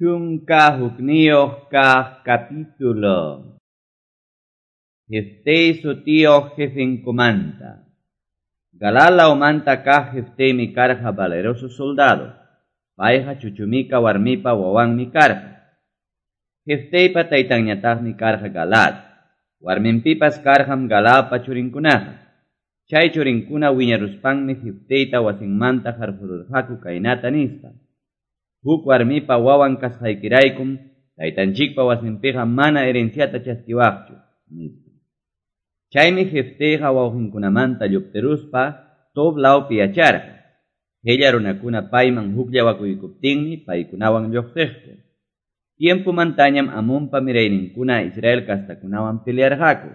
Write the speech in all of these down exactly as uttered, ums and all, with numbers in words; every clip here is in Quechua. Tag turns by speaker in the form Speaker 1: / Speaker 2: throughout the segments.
Speaker 1: Chunka hukniyuq kaq capítulo. Jefté sutiyuq jefenkumanta. Galaad lawmanta kaq Jeftemi karqa valeroso soldado. Payqa chuchumika warmipa wawanmi karqa. Jefteypa taytanñataqmi karqa Galaad. Warminpipas karqam Galaadpa churinkunaqa. Chay churinkuna wiñaruspanmi Jefteyta wasinmanta qarqururqaku kaynata nispa. Huk warmipa wawan kasqaykiraykum taytanchikpa wasinpiqa mana herenciata chaskiwaqchu, nispa. Chaymi Jefteyqa wawqinkunamanta lluptiruspa Tob lawpi yacharqa. Qilla runakuna payman hukllawakuykuptinmi paykunawan lluqsiqku. Tiempumantañam Amonpa mirayninkuna Israel kastakunawan pelearqaku.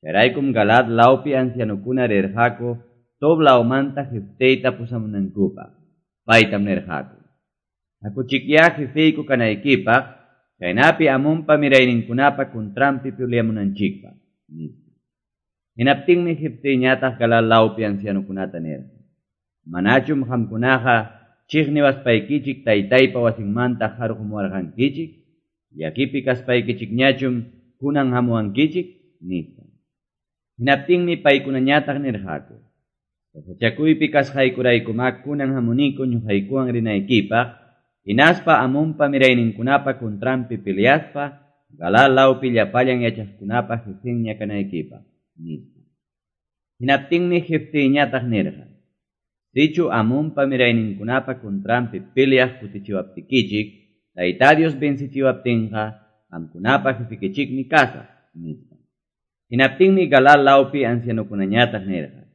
Speaker 1: Chayraykum Galaad lawpi ancianokuna rirqaku Tob lawmanta Jefteyta pusamunankupaq. Paytam nirqaku: Hakuchikyá jefeyku kanaykipaq, chaynapi Amonpa mirayninkunapa contranpi peleamunanchikpaq, nispa. Hinaptinmi Jefteyñataq Galaad lawpi ancianokunata nirqa: Manachum qamkunaqa chiqniwaspaykichik taytaypa wasinmanta qarqumuwarqankichik, llakipi kaspaykichikñachum kunan hamuwankichik, nispa. Hinaptinmi paykunañataq nirqaku: Sasachakuypi kasqaykuraykumá kunan hamuniku ñuqaykuwan rinaykipaq, hinaspa Amonpa mirayninkunapa contranpi peleaspa Galaad lawpi llapallan yachaqkunapa jefenña kanaykipaq, nispa. Hinaptinmi Jefteyñataq nirqa: Sichu Amonpa mirayninkunapa contranpi peleaq kutichiwaptikichik, Tayta Dios vencichiwaptinqa, qamkunapa jefekichikmi kasaq, nispa. Hinaptinmi Galaad lawpi ancianokunañataq nirqa: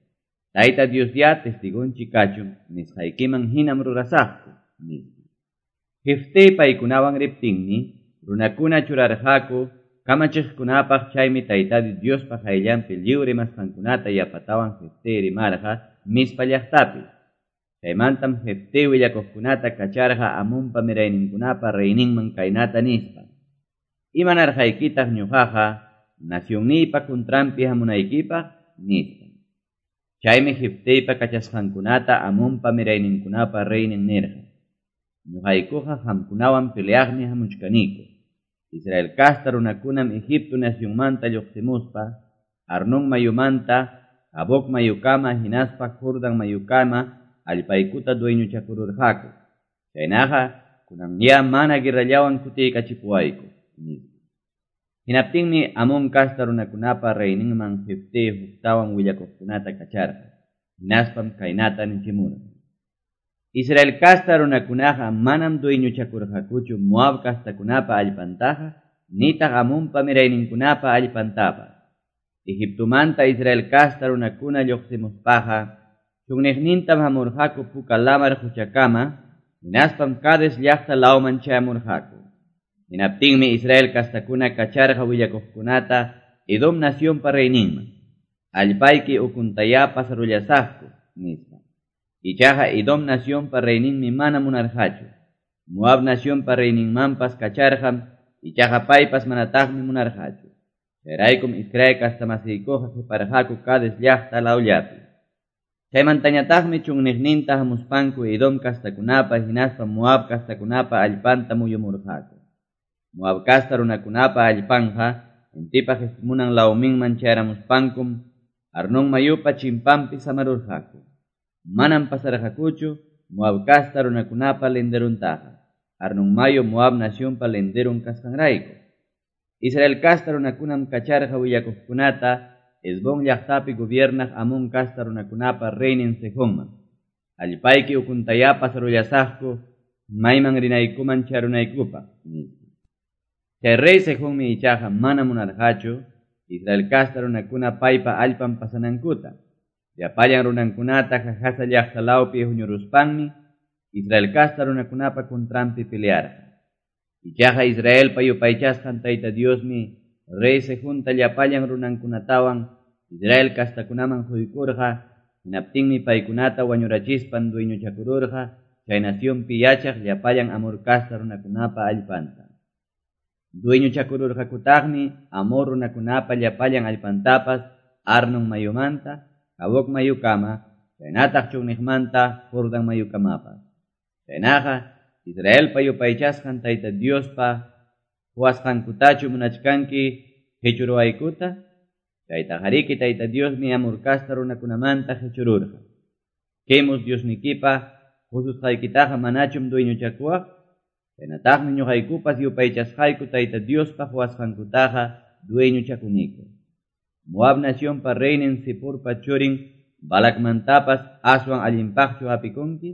Speaker 1: Tayta Dios ya testigonchik kachun, nisqaykiman hinam rurasaqku, nispa. Jeftey paykunawan riptinmi, runakuna churarqaku kamachiqkunapaq, chaymi Tayta Diospa qayllanpi lliw rimasqankunata yapatawan Jeftey rimarqa Mizpa llaqtapi. Chaymantam Jeftey willakuqkunata kacharqa Amonpa mirayninkunapa reyninman kaynata nispa: Imanarqaykitaq ñuqaqa nacionniypa contranpi hamunaykipaq, nispa. Chaymi Jefteypa kachasqankunata Amonpa mirayninkunapa reynin nirqa: Ñuqaykuqa qamkunawan peleaqmi hamuchkaniku. Israel casta runakunam Egipto nacionmanta lluqsimuspa, Arnón mayumanta, Jaboc mayukama hinaspa Jordán mayukama allpaykuta dueñochakururqaku. Chaynaqa kunanyá mana guerrallawan kutiykachipuwayku, nispa. Hinaptinmi Amón casta runakunapa reyninman Jeftey huktawan willakuqkunata kacharqa. Hinaspam kaynata nichimurqa: Israel casta runakunaqa manam dueñochakurqakuchu Moab castakunapa allpantaqa, nitaq Amonpa mirayninkunapa allpantapas. Egiptomanta Israel casta runakuna lluqsimuspaqa, chunniqnintam hamurqaku Puka Lamar quchakama, hinaspam Cades llaqta lawman chayamurqaku. Hinaptinmi Israel castakuna kacharqa willakuqkunata Edom nacionpa reyninman: Allpayki ukuntayá pasarullasaqku, nispa. Ichaqa Edom nacionpa reyninmi mana munarqachu. Moab nacionpa reyninmanpas kacharqam, ichaqa paypas manataqmi munarqachu. Chayraykum Israel castamasiykuqa qiparqaku Cades llaqta lawllapi. Chaymantañataqmi chunniqninta hamuspanku Edom castakunapa hinaspa Moab castakunapa allpanta muyumurqaku. Moab casta runakunapa allpanja intipa qispimunan lawminman chayaramuspankum Arnón mayupa chimpanpi samarurqaku. Manam pasarqakuchu Moab casta runakunapa linderuntaqa. Arnón mayu Moab nacionpa linderun kasqanrayku. Israel casta runakunam kacharqa willakuqkunata Hesbón llaqtapi gobiernaq Amón casta runakunapa reynin Sehonman: Allpayki ukuntayá pasarullasaqku, mayman rinaykuman charunaykupaq, nispa. Chay rey Sehonmi ichaqa mana munarqachu Israel casta runakuna paypa allpan pasanankuta. Llapallan runankunata Jahasa llaqta lawpi huñuruspanmi Israel casta runakunapa contranpi pelearqa. Ichaqa Israelpa yupaychasqan Tayta Diosmi rey Sehonta llapallan runankunatawan Israel castakunaman quykurqa. Hinaptinmi paykunata wañurachispan dueñochakururqa chay nacionpi yachaq llapallan Amor casta runakunapa allpanta. Dueñochakururqakutaqmi Amor runakunapa llapallan allpantapas Arnón mayumanta, Jaboc mayukama, chaynataq chunniqmanta Jordán mayukamapas. Chaynaqa Israelpa yupaychasqan Tayta Diospa quwasqankutachu munachkanki qechuruwaykuta? Chaytaqariki Tayta Diosmi Amor casta runakunamanta qechururqa. Quemos Diosnikipa qosusqaykitaqa manachum dueñochakuwaq? Chaynataqmi ñuqaykupas yupaychasqayku Tayta Diospa quwasqankutaqa dueñochakuniku. Moab nacionpa reynin Ziporpa churin Balacmantapas aswan allinpaqchu hapikunki?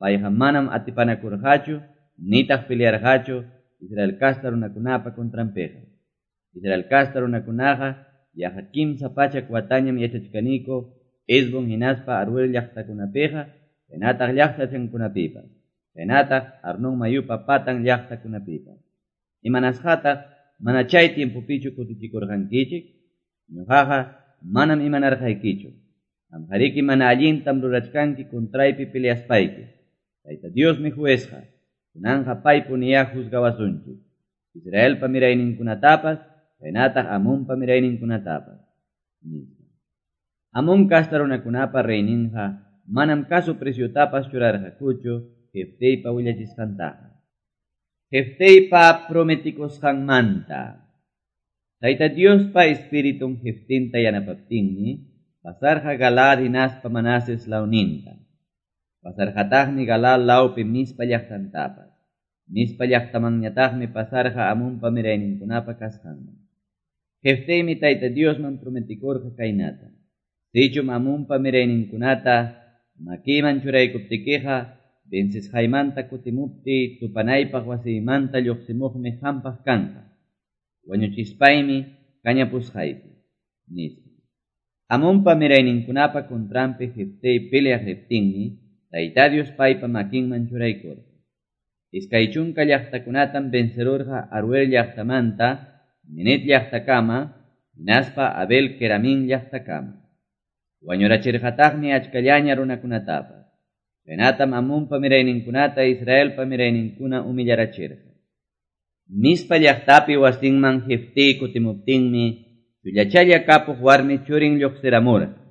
Speaker 1: Payqa manam atipanakurqachu nitaq pelearqachu Israel casta runakunapa contranpiqa. Israel casta runakunaqa yaqa kimsa pachak watañam yachachkaniku Hesbón hinaspa Aroer llaqtakunapiqa, chaynataq llaqtachankunapipas, chaynataq Arnón mayupa patan llaqtakunapipas. Imanasqataq mana chay tiempopichu kutichikurqankichik? Ñuqaqa manam imanarqaykichu. Qamqariki mana allintam rurachkanki contraypi peleaspayki. Tayta Diosmi juezqa, kunanqa paypuniyá juzgawasunchik. Israelpa mirayninkunatapas, chaynataq Amonpa mirayninkunatapas, nispa. Amón casta runakunapa reyninqa manam caso preciotapas churarqakuchu Jefteypa willachisqantaqa. Jefteypa prometikusqanmanta. Tayta Diospa espiritun Jeftinta yanapaptinmi pasarqa Galaad hinaspa Manases lawninta. Pasarqataqmi Galaad lawpi Mizpa llaqtantapas. Mizpa llaqtamanñataqmi pasarqa Amonpa mirayninkunapa kasqanman. Jefteymi Tayta Diosman prometikurqa kaynata: Sichum Amonpa mirayninkunata makiyman churaykuptikiqa, vencesqaymanta kutimuptiy tupanaypaq wasiymanta lluqsimuqmi qampaq kanqa. Wañuchispaymi kañapusqayki, nispa. Amonpa mirayninkunapa contranpi Jeftey peleaq riptinmi Tayta Dios paypa makinman churaykurqa. Iskay chunka llaqtakunatam vencerurqa Aroer llaqtamanta Minit llaqtakama, hinaspa Abel Keramín llaqtakama. Wañurachirqataqmi achkallaña runakunatapas. Chaynatam Amonpa mirayninkunata Israelpa mirayninkuna humillarachirqa. Mizpa llaqtapi wasinman Jeftey kutimuptinmi chullachalla kapuq warmi churin lluqsiramurqa.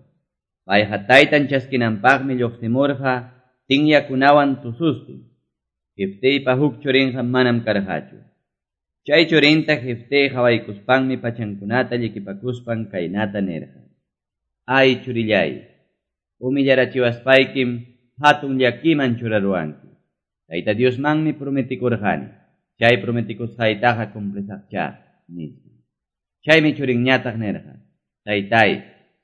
Speaker 1: Payqa taytan chaskinanpaqmi lluqsimurqa tinyakunawan tusustin. Jefteypa huk churinqa manam karqachu. Chay churinta Jeftey qawaykuspanmi pachankunata llikipakuspan kaynata nirqa: Ay churillay, humillarachiwaspaykim hatun llakiman churaruwanki. Tayta Diosmanmi prometikurqani, chay prometikusqaytaqa cumplisaqchá, nispa. Chaymi churinñataq nirqa: Taytay,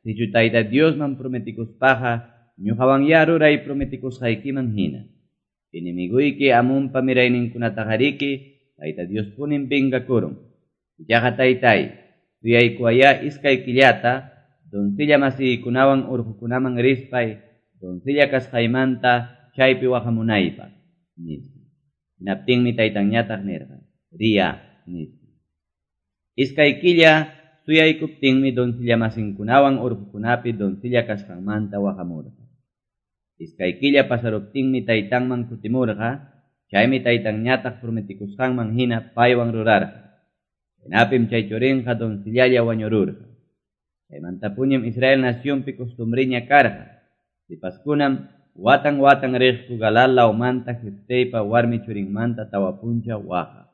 Speaker 1: sichu Tayta Diosman prometikuspaqa ñuqawanyá ruray prometikusqaykiman hina. Enemiguyki Amonpa mirayninkunataqariki Tayta Diospunim vengakurun. Ichaqa taytay, suyaykuwayá iskay killata doncella masiykunawan urqukunaman rispay doncella kasqaymanta chaypi waqamunaypaq, nispa. Hinaptinmi taytanñataq nirqa: Riya, nispa. Iskay killa suyaykuptinmi doncella masinkunawan urqukunapi doncella kasqanmanta waqamurqa. Iskay killa pasaruptinmi taytanman kutimurqa, chaymi taytanñataq prometikusqanman hina paywan rurarqa. Chaynapim chay churinqa doncellalla wañururqa. Chaymantapuñam Israel nacionpi costumbriña karqa. Sipaskunam watan watan riqku Galaad lawmanta Jefteypa warmi churinmanta tawa punchaw waqaq.